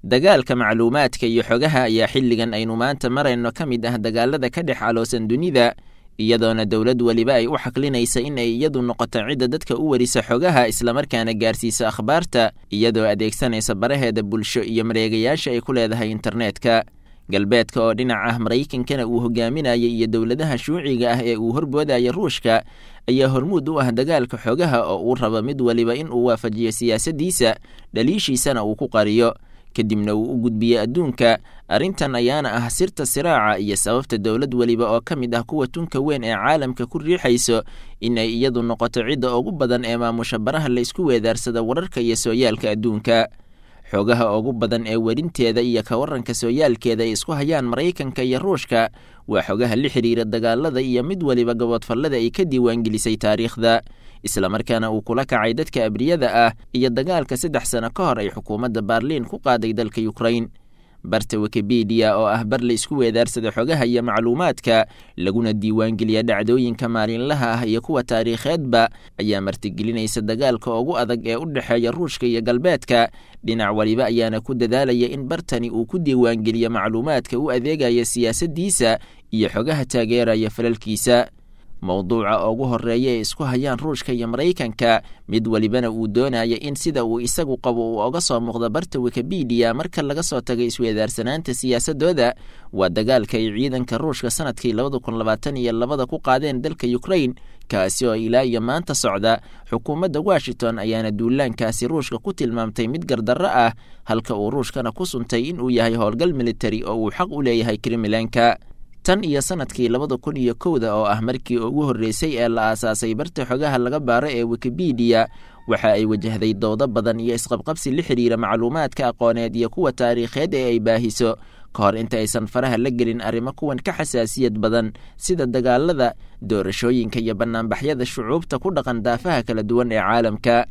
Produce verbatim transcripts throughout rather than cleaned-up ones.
Dagaalka macluumaadka iyo xogaha ayaa xilligan aynu maanta marayno ka mid ah dagaalada ka dhex aloosan dunida, iyadoona dowlad weliba ay u xaklinaysa in ay iyadu noqoto cidda dadka u warisa xogaha islamarkaana gaarsiisa akhbaarta, iyadoo adeegsanaysa baraheeda bulsho iyo mareegayaasha ay ku leedahay internetka. Galbeedka oo dhinac ah Maraykankana uu hogaaminaya iyo dowladaha shuuciga ah ee uu horboodaya Ruushka ayaa hormuud u ah dagaalka xogaha oo uu rabo mid waliba in uu waafajiyo siyaasaddiisa, dhaliishiisana uu ku qariyo, kadibna uu u gudbiyo adduunka. Arrintan ayaana ah sirta siraaca iyo sababta dowlad weliba oo ka mid ah kuwa tunka weyn ee caalamka ku riixayso in ay iyadu noqoto cidda ugu badan ee maamusha baraha la isku weedaarsada wararka iyo sooyaalka adduunka. Xogaha ugu badan ee werinteeda iyo ka waranka sooyaalkeeda ay isku hayaan Maraykanka iyo Ruushka waa xogaha la xiriira dagaalada iyo mid weliba gaboodfallada ay ka diiwaangelisay taariikhda, islamarkaana uu kula kacay dadka abriyada ah iyo dagaalka saddex sano ka hor ay xukuumadda Baarliin ku qaaday dalka Ukrain. Barta Wikipedia oo ah bar la isku weedaarsada xogaha iyo macluumaadka laguna diiwaangeliya dhacdooyinka maalinlaha ah iyo kuwa taariikheedba ayaa martigelinaysa dagaalka ugu adag ee u dhexeeya Ruushka iyo Galbeedka. Dhinac waliba ayaana ku dadaalaya in bartani uu ku diiwaangeliyo macluumaadka u adeegaya siyaasaddiisa iyo xogaha taageeraya falalkiisa. Mowduuca ugu horeeya ee isku hayaan Ruushka iyo Maraykanka, mid walibana uu doonaya in sida uu isagu qabo uu oga soo muuqdo barta Wikipedia marka laga soo tagay isweedaarsanaanta siyaasadooda, waa dagaalka ay ciidanka Ruushka sanadkii labada kun labaatan iyo labada ku qaadeen dalka Ukrain, kaasi oo ilaa iyo maanta socda. Xukuumadda Washington ayaana duulaankaasi Ruushka ku tilmaamtay mid gardarro ah, halka uu Ruushkana ku suntay inuu yahay howlgal militari oo uu xaq u leeyahay Kremlinka. Tan iyo sanadkii labada kun iyo kowda oo ah markii ugu horreysay ee la aasaasay barta xogaha laga baaro ee Wikipedia, waxa ay wajahday doodo badan iyo isqabqabsi la xiriira macluumaadka aqooneed iyo kuwa taariikheed ee ay baahiso, ka hor inta aysan faraha la gelin arrimo kuwan ka xasaasiyad badan sida dagaalada, doorashooyinka iyo bannaanbaxyada shucuubta ku dhaqan daafaha kala duwan ee caalamka.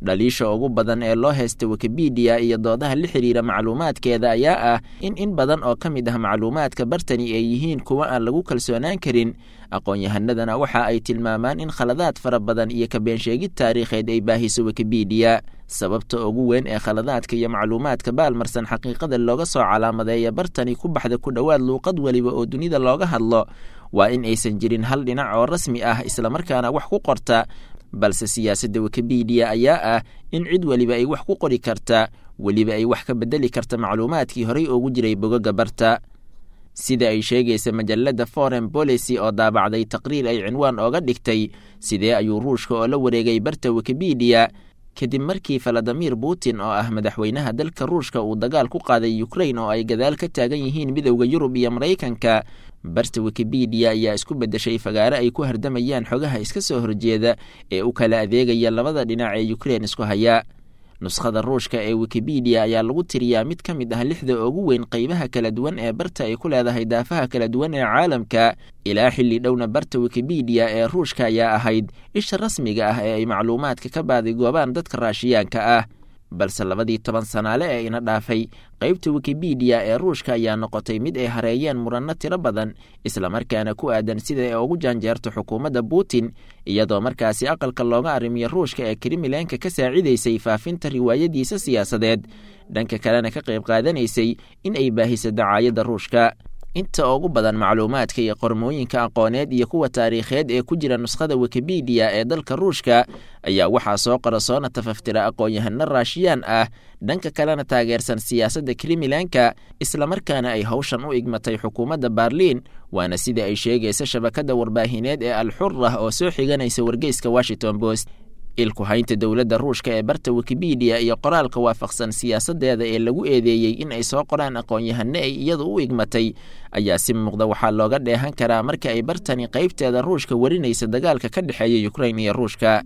Dhaliisha ugu badan ee loo haysta Wikipedia iyo doodaha la xiriira macluumaadkeeda ayaa ah in in badan oo ka mid ah macluumaadka bartani ay yihiin kuwa aan lagu kalsoonaan karin. Aqoon-yahanadana waxa ay tilmaamaan in khaladaad fara badan iyo ka beensheegid taariikheed ay baahiso Wikipedia. Sababta ugu weyn ee khaladaadka iyo macluumaadka baalmarsan xaqiiqada looga soo calaamadeeya bartani ku baxda ku dhowaad luuqad weliba oo dunida looga hadlo waa in aysan jirin hal dhinac oo rasmi ah islamarkaana wax ku qorta, balse siyaasadda Wikipedia ayaa ah in cid weliba ay wax ku qori karta, weliba ay wax ka bedeli karta macluumaadkii horey ugu jiray bogoga barta. Sida ay sheegaysa majalladda Foreign Policy oo daabacday taqriir ay cinwaan ooga dhigtay sidee ayuu Ruushka oo la wareegay barta Wikipedia kadib markii Valadimir Putin oo ah madaxweynaha dalka Ruushka uu dagaal ku qaaday Ukrain oo ay gadaal ka taagan yihiin midowda Yurub iyo Maraykanka. Barta Wikipedia ayaa isku beddeshay fagaare ay ku hardamayaan xogaha iska soo horjeeda ee u kala adeegaya labada dhinac ee Ukrain isku haya. Nuskhada Ruushka ee Wikipedia ayaa lagu tiriyaa mid ka mid ah lixda ugu weyn qaybaha kala duwan ee barta ay ku leedahay daafaha kala duwan ee caalamka. Ilaa xilli dhowna barta Wikipedia ee Ruushka ayaa ahayd isha rasmiga ah ee ay macluumaadka ka baadigoobaan dadka Raashiyaanka ah. Balse labadii toban sanaale ee ina dhaafay, qaybta Wikipedia ee Ruushka ayaa noqotay mid ay hareeyeen muranno tiro badan, islamarkaana ku aadan sida ay ugu jaanjeerto xukuumadda Putin, iyadoo markaasi aqalka looga arrimiyo Ruushka ee Kremlinka ka saacidaysay faafinta riwaayadiisa siyaasadeed, dhanka kalena ka qayb qaadanaysay in ay baahiso dacaayadda Ruushka. Inta ugu badan macluumaadka iyo qormooyinka aqooneed iyo kuwa taariikheed ee ku jira nuskhada Wikipedia ee dalka Ruushka ayaa waxaa soo qora soona tafaftira aqoon-yahano Raashiyaan ah, dhanka kalena taageersan siyaasadda Kremlinka, islamarkaana ay howshan u igmatay xukuumadda Baarliin, waana sida ay sheegaysa shabakadda warbaahineed ee Al-Xurra oo soo xiganaysa wargeyska Washington Post. Ilku haynta dowladda Ruushka ee barta Wikipedia iyo qoraalka waafaqsan siyaasaddeeda ee lagu eedeeyey in ay soo qoraan aqoon-yahano ay iyadu u igmatay ayaa si muuqda waxaa looga dheehan karaa marka ay bartani qaybteeda Ruushka warinaysa dagaalka ka dhexeeya Ukrain iyo Ruushka.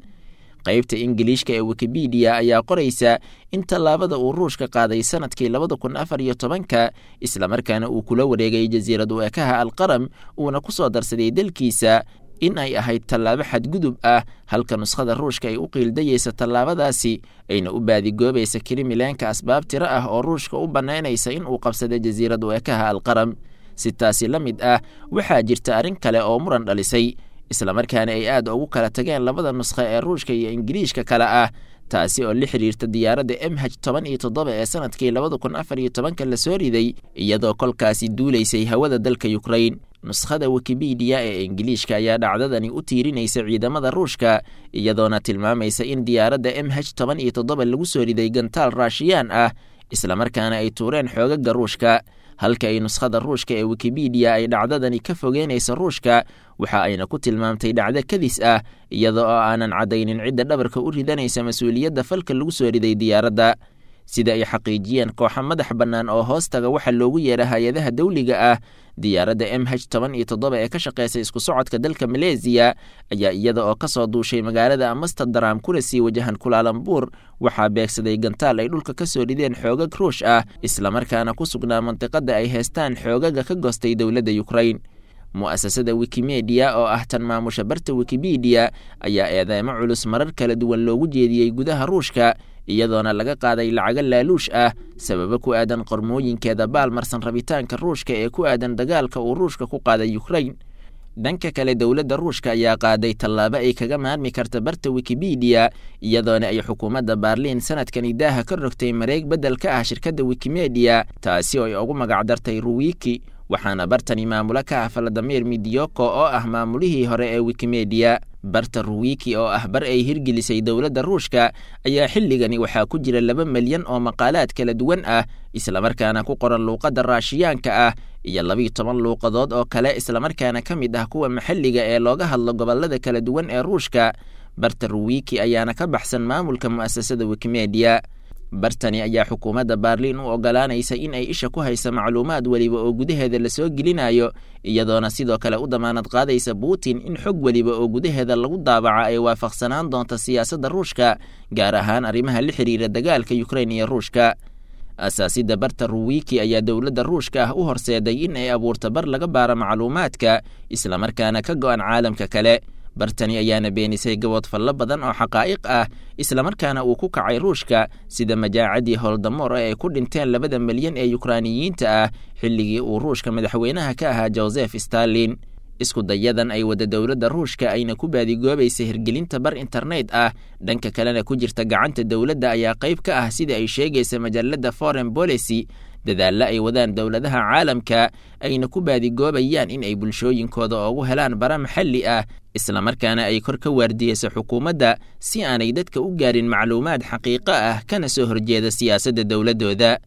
Qaybta Ingiliishka ee Wikipedia ayaa qoraysa in tallaabada uu Ruushka qaaday sanadkii labada kun afar iyo tobanka, islamarkaana uu kula wareegay jasiirad u ekaha Alqaram uuna ku soo darsaday dalkiisa, in ay ahayd tallaabo xadgudub ah, halka nuskhada Ruushka ay u qiildayeysa tallaabadaasi ayna u baadigoobaysa Kremlinka asbaab tiro ah oo Ruushka u bannaynaysa in uu qabsada jasiirad u ekaha Alqaram. Si taasi la mid ah, waxaa jirta arrin kale oo muran dhalisay, islamarkaana ay aad ugu kala tageen labada nuskho ee Ruushka iyo Ingiriishka kale ah, taasi oo la xiriirta diyaaradda m h toban iyo toddoba ee sanadkii labada kun afar iyo tobanka lasoo riday, iyadoo kolkaasi duulaysay hawada dalka Ukrain. Nuskhada Wikipedia ee Ingiliishka ayaa dhacdadani u tiirinaysa ciidamada Ruushka, iyadoona tilmaamaysa in diyaaradda m h toban iyo toddoba lagu soo riday gantaal Raashiyaan ah, islamarkaana ay tuureen xoogaga Ruushka. Halka ay nuskhada Ruushka ee Wikipedia ay dhacdadani ka fogeynaysa Ruushka, waxa ayna ku tilmaamtay dhacdo kadis ah, iyada oo aanan caddaynin cidda dhabarka u ridanaysa mas-uuliyadda falka lagu soo riday diyaaradda. Sida ay xaqiijiyeen kooxo madax bannaan oo hoostaga waxa loogu yeera hay-adaha dawliga ah, diyaaradda m h toban iyo toddoba ee ka shaqeysa isku socodka dalka Maleesiya ayaa iyada oo ka soo duushay magaalada Amsterdam kuna sii wajahan Kulaalambuur, waxaa beegsaday gantaal ay dhulka ka soo rideen xoogag Ruush ah, islamarkaana ku sugnaa mantiqadda ay heestaan xoogaga ka goostay dowladda Ukrain. Mu'asasada Wikimedia oo ah tan maamusha barta Wikipedia ayaa eedeymo culus marar kala duwan loogu jeediyey gudaha Ruushka, iyadoona laga qaaday lacago laaluush ah sababo ku aadan qormooyinkeeda baalmarsan rabitaanka Ruushka ee ku aadan dagaalka uu Ruushka ku qaaday Ukrain. Dhanka kale, dowladda Ruushka ayaa qaaday tallaabo ay kaga maarmi karta barta Wikipedia, iyadoona ay xukuumadda Baarliin sanadkani daaha ka rogtay mareeg beddel ka ah shirkadda Wikimedia, taasi oo ay ugu magacdartay Ruwiki, waxaana bartani maamulo ka ah Valadimir Midyoko oo ah maamulihii hore ee Wikimedia. Barta Ruwiki oo ah bar ay hirgelisay dowladda Ruushka ayaa xilligani waxaa ku jira laba milyan oo maqaalaad kala duwan ah, islamarkaana ku qoran luuqadda Raashiyaanka ah iyo labiyo toban luuqadood oo kale, islamarkaana ka mid ah kuwa maxalliga ee looga hadlo gobollada kala duwan ee Ruushka. Barta Ruwiki ayaana ka baxsan maamulka mu'asasada Wikimedia. Bartani ayaa xukuumadda Baarliin u ogolaanaysa in ay isha ku haysa macluumaad weliba oo gudaheeda lasoo gelinayo, iyadoona sidoo kale u damaanad qaadaysa Putin in xog weliba oo gudaheeda lagu daabaca ay waafaqsanaan doonto siyaasadda Ruushka, gaar ahaan arrimaha la xiriira dagaalka Ukrain iyo Ruushka. Asaasidda barta Ruwiki ayaa dowladda Ruushka ah u horseeday in ay abuurto bar laga baaro macluumaadka, islamarkaana ka go'an caalamka kale. Bartani ayaana beenisay gaboodfallo badan oo xaqaa'iq ah, islamarkaana uu ku kacay Ruushka, sida majaacadii Holodomor ee ay ku dhinteen labada milyan ee Yukraaniyiinta ah xilligii uu Ruushka madaxweynaha ka ahaa Joseph Stalin. Isku dayadan ay wada dowladda Ruushka ayna ku baadigoobaysa hirgelinta bar internet ah, dhanka kalena ku jirta gacanta dowladda, ayaa qayb ka ah sida ay sheegaysa majalladda Foreign Policy dadaalla ay wadaan dowladaha caalamka ayna ku baadigoobayaan in ay bulshooyinkooda ugu helaan bara maxalli ah, islamarkaana ay kor ka waardiyeyso xukuumadda si aanay dadka u gaarin macluumaad xaqiiqo ah kana soo horjeeda siyaasadda dowladdooda.